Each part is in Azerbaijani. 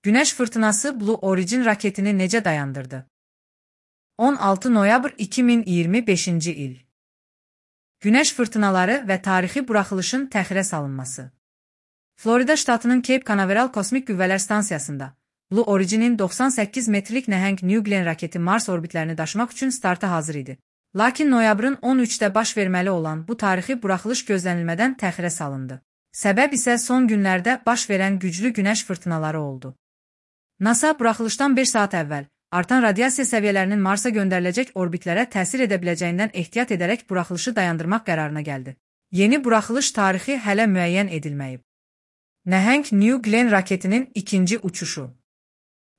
Günəş fırtınası Blue Origin raketini necə dayandırdı? 16 noyabr 2025-ci il. Günəş fırtınaları və tarixi buraxılışın təxirə salınması. Florida ştatının Cape Canaveral Kosmik Qüvvələr Stansiyasında Blue Origin'in 98 metrlik nəhəng New Glenn raketi Mars orbitlərini daşımaq üçün starta hazır idi. Lakin noyabrın 13-də baş verməli olan bu tarixi buraxılış gözlənilmədən təxirə salındı. Səbəb isə son günlərdə baş verən güclü günəş fırtınaları oldu. NASA buraxılışdan 1 saat əvvəl artan radiasiya səviyyələrinin Marsa göndəriləcək orbitlərə təsir edə biləcəyindən ehtiyat edərək buraxılışı dayandırmaq qərarına gəldi. Yeni buraxılış tarixi hələ müəyyən edilməyib. Nəhəng New Glenn raketinin ikinci uçuşu.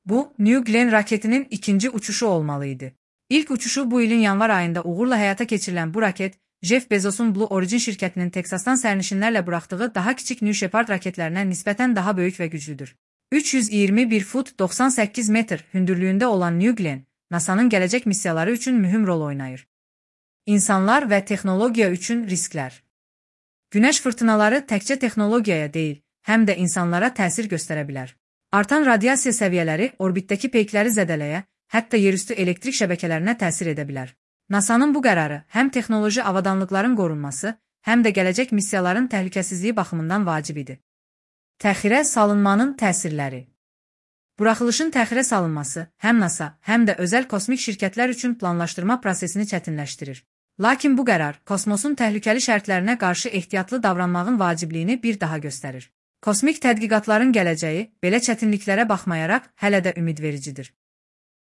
Bu, New Glenn raketinin ikinci uçuşu olmalı idi. İlk uçuşu bu ilin yanvar ayında uğurla həyata keçirilən bu raket, Jeff Bezos'un Blue Origin şirkətinin Teksasdan sərnişinlərlə buraxdığı daha kiçik New Shepard raketlərinə nisbətən daha böyük və güclüdür. 321 fut 98 metr hündürlüyündə olan New Glenn, NASA'nın gələcək missiyaları üçün mühüm rol oynayır. İnsanlar və texnologiya üçün risklər. Günəş fırtınaları təkcə texnologiyaya deyil, həm də insanlara təsir göstərə bilər. Artan radiasiya səviyyələri orbitdəki peykləri zədələyə, hətta yerüstü elektrik şəbəkələrinə təsir edə bilər. NASA'nın bu qərarı həm texnoloji avadanlıqların qorunması, həm də gələcək missiyaların təhlükəsizliyi baxımından vacib idi. Təxirə salınmanın təsirləri. Buraxılışın təxirə salınması həm NASA, həm də özəl kosmik şirkətlər üçün planlaşdırma prosesini çətinləşdirir. Lakin bu qərar kosmosun təhlükəli şərtlərinə qarşı ehtiyatlı davranmağın vacibliyini bir daha göstərir. Kosmik tədqiqatların gələcəyi belə çətinliklərə baxmayaraq hələ də ümidvericidir.